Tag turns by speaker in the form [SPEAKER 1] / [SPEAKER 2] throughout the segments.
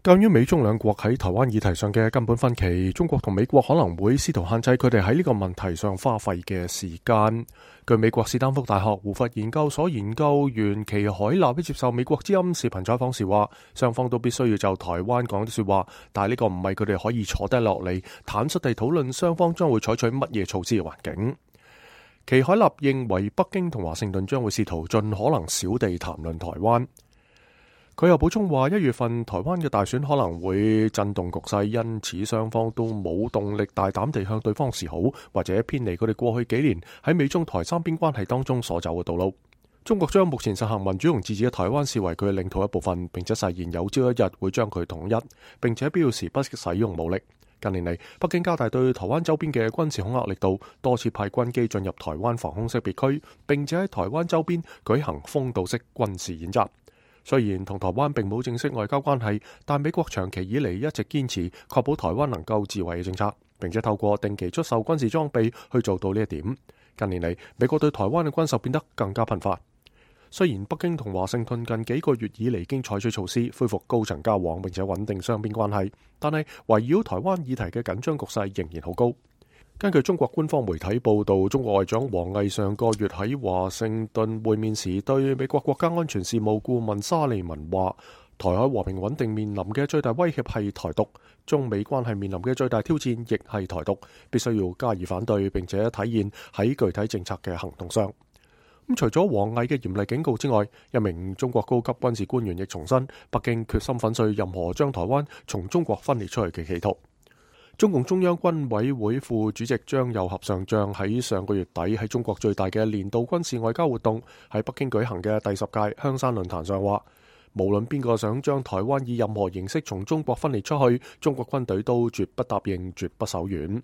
[SPEAKER 1] 鑒於美中兩國喺台灣議題上嘅根本分歧，中國同美國可能會試圖限制佢哋喺呢個問題上花費嘅時間。據美國史丹福大學胡佛研究所研究員祁海納接受美國之音視頻採訪時話，雙方都必須要就台灣講啲說話，但係呢個唔係佢哋可以坐低落嚟坦率地討論雙方將會採取乜嘢措施嘅環境。祁海納認為北京同華盛頓將會試圖盡可能少地談論台灣。佢又補充話，1月份台灣嘅大選可能會震動局勢，因此雙方都冇動力大膽地向對方示好，或者偏離佢哋過去幾年喺美中台三邊關係當中所走嘅道路。中國將目前實行民主同自治嘅台灣視為佢嘅領土一部分，並且誓言有朝一日會將佢統一，並且必要時不惜使用武力。近年嚟，北京加大對台灣周邊嘅軍事恐嚇力度，多次派軍機進入台灣防空識別區，並且喺台灣周邊舉行封堵式軍事演習。雖然同台灣並冇正式外交關係，但美國長期以嚟一直堅持確保台灣能夠自衛嘅政策，並且透過定期出售軍事裝備去做到呢一點。近年嚟，美國對台灣嘅軍售變得更加頻繁。雖然北京同華盛頓近幾個月以嚟已經採取措施恢復高層交往並且穩定雙邊關係，但係圍繞台灣議題嘅緊張局勢仍然好高。根據中國官方媒體報道，中國外長王毅上個月喺華盛頓會面時，對美國國家安全事務顧問沙利文話，台海和平穩定面臨嘅最大威脅係台獨，中美關係面臨嘅最大挑戰亦係台獨，必須要加以反對，並且體現喺具體政策嘅行動上。除咗王毅嘅嚴厲警告之外，一名中國高級軍事官員亦重申，北京決心粉碎任何將台灣從中國分裂出去嘅企圖。中共中央軍委會副主席張又俠上將喺上個月底喺中國最大嘅年度軍事外交活動喺北京舉行嘅第10屆香山論壇上話，無論邊個想將台灣以任何形式從中國分裂出去，中國軍隊都絕不答應，絕不手軟。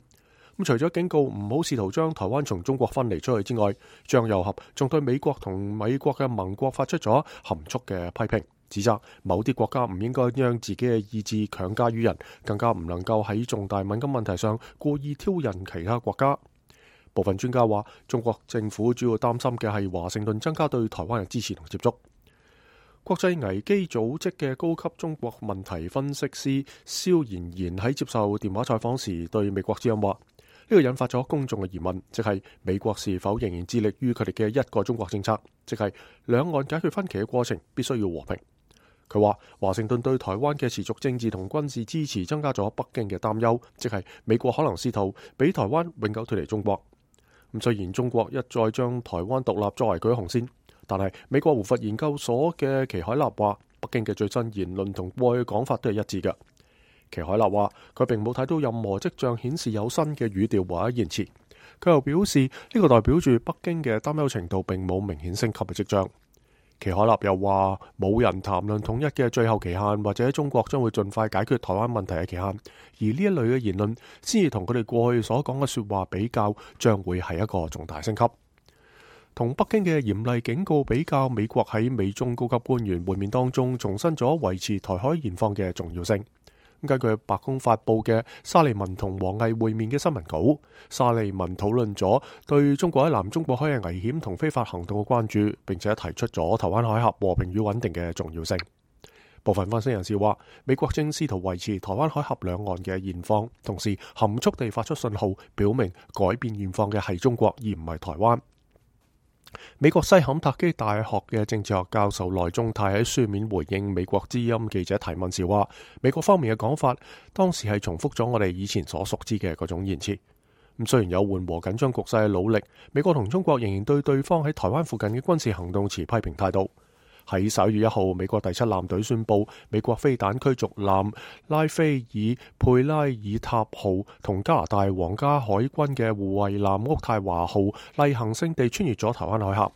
[SPEAKER 1] 除咗警告唔好試圖將台灣從中國分離出去之外，張又俠仲對美國同美國嘅盟國發出咗含蓄嘅批評，指責某啲國家唔應該將自己嘅意志強加於人，更加唔能夠喺重大敏感問題上故意挑釁其他國家。部分專家話，中國政府主要擔心嘅係華盛頓增加對台灣嘅支持同接觸。國際危機組織嘅高級中國問題分析師蕭妍妍喺接受電話採訪時對美國之音話，呢個引發咗公眾嘅疑問，即係美國是否仍然致力於佢哋嘅一個中國政策，即係兩岸解決分歧嘅過程必須要和平。佢話華盛頓對台灣嘅持續政治同軍事支持增加咗北京嘅擔憂，即係美國可能試圖俾台灣永久脫離中國。雖然中國一再將台灣獨立作為佢嘅紅線，但係美國胡佛研究所嘅祁海納話，北京嘅最新言論同過去嘅講法都係一致嘅。祁海納話佢並冇睇到任何跡象顯示有新嘅語調或者言辭。佢又表示呢個代表住北京嘅擔憂程度並冇明顯升級嘅跡象。祁海納又話冇人談論統一嘅最後期限，或者中國將會盡快解決台灣問題嘅期限，而呢一類嘅言論先至同佢哋過去所講嘅說話比較，將會係一個重大升級。同北京嘅嚴厲警告比較，美國喺美中高級官員會面當中重申咗維持台海現況嘅重要性。根據白宮發佈嘅沙利文同王毅會面嘅新聞稿，沙利文討論咗對中國喺南中國海嘅危險同非法行動嘅關注，並且提出咗台灣海峽和平與穩定嘅重要性。部分分析人士話，美國正試圖維持台灣海峽兩岸嘅現況，同時含蓄地發出信號，表明改變現況嘅係中國而唔係台灣。美國西坎塔基大學嘅政治學教授內中泰喺書面回應美國之音記者提問時話，美國方面嘅講法當時係重複咗我哋以前所熟知嘅嗰種言辭。雖然有緩和緊張局勢嘅努力，美國同中國仍然對對方喺台灣附近嘅軍事行動持批評態度。喺11月1號，美國第7艦隊宣布，美國飛彈驅逐艦拉斐爾佩拉爾塔號同加拿大皇家海軍嘅護衛艦渥太華號例行性地穿越咗台灣海峽，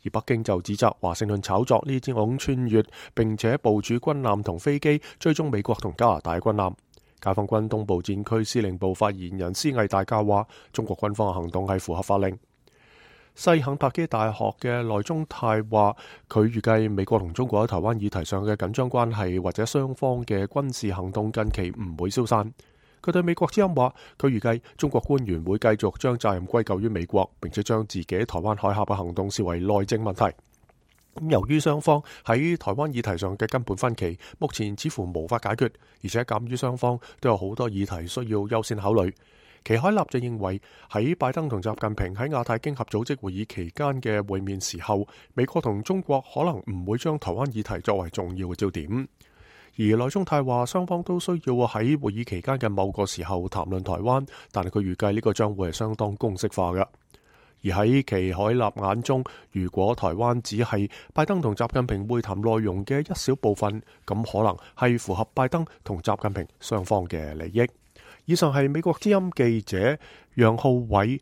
[SPEAKER 1] 而北京就指責華盛頓炒作呢種穿越，並且部署軍艦同飛機追蹤美國同加拿大軍艦。解放軍東部戰區司令部發言人施毅大校話，中國軍方嘅行動係符合法令。西肯塔基大學嘅內中泰話，佢預計美國同中國喺台灣議題上嘅緊張關係或者雙方嘅軍事行動近期唔會消散。佢對美國之音話，佢預計中國官員會繼續將責任歸咎於美國，並且將自己喺台灣海峽嘅行動視為內政問題。由於雙方喺台灣議題上嘅根本分歧，目前似乎無法解決，而且鑑於雙方都有好多議題需要優先考慮。祁海立就認為喺拜登同習近平喺亞太經合組織會議期間嘅會面時候，美國同中國可能唔會將台灣議題作為重要嘅焦點。而內中泰話雙方都需要喺會議期間嘅某個時候談論台灣，但係佢預計呢個將會係相當公式化嘅。而喺祁海立眼中，如果台灣只係拜登同習近平會談內容嘅一小部分，咁可能係符合拜登同習近平雙方嘅利益。以上係美國之音記者楊浩偉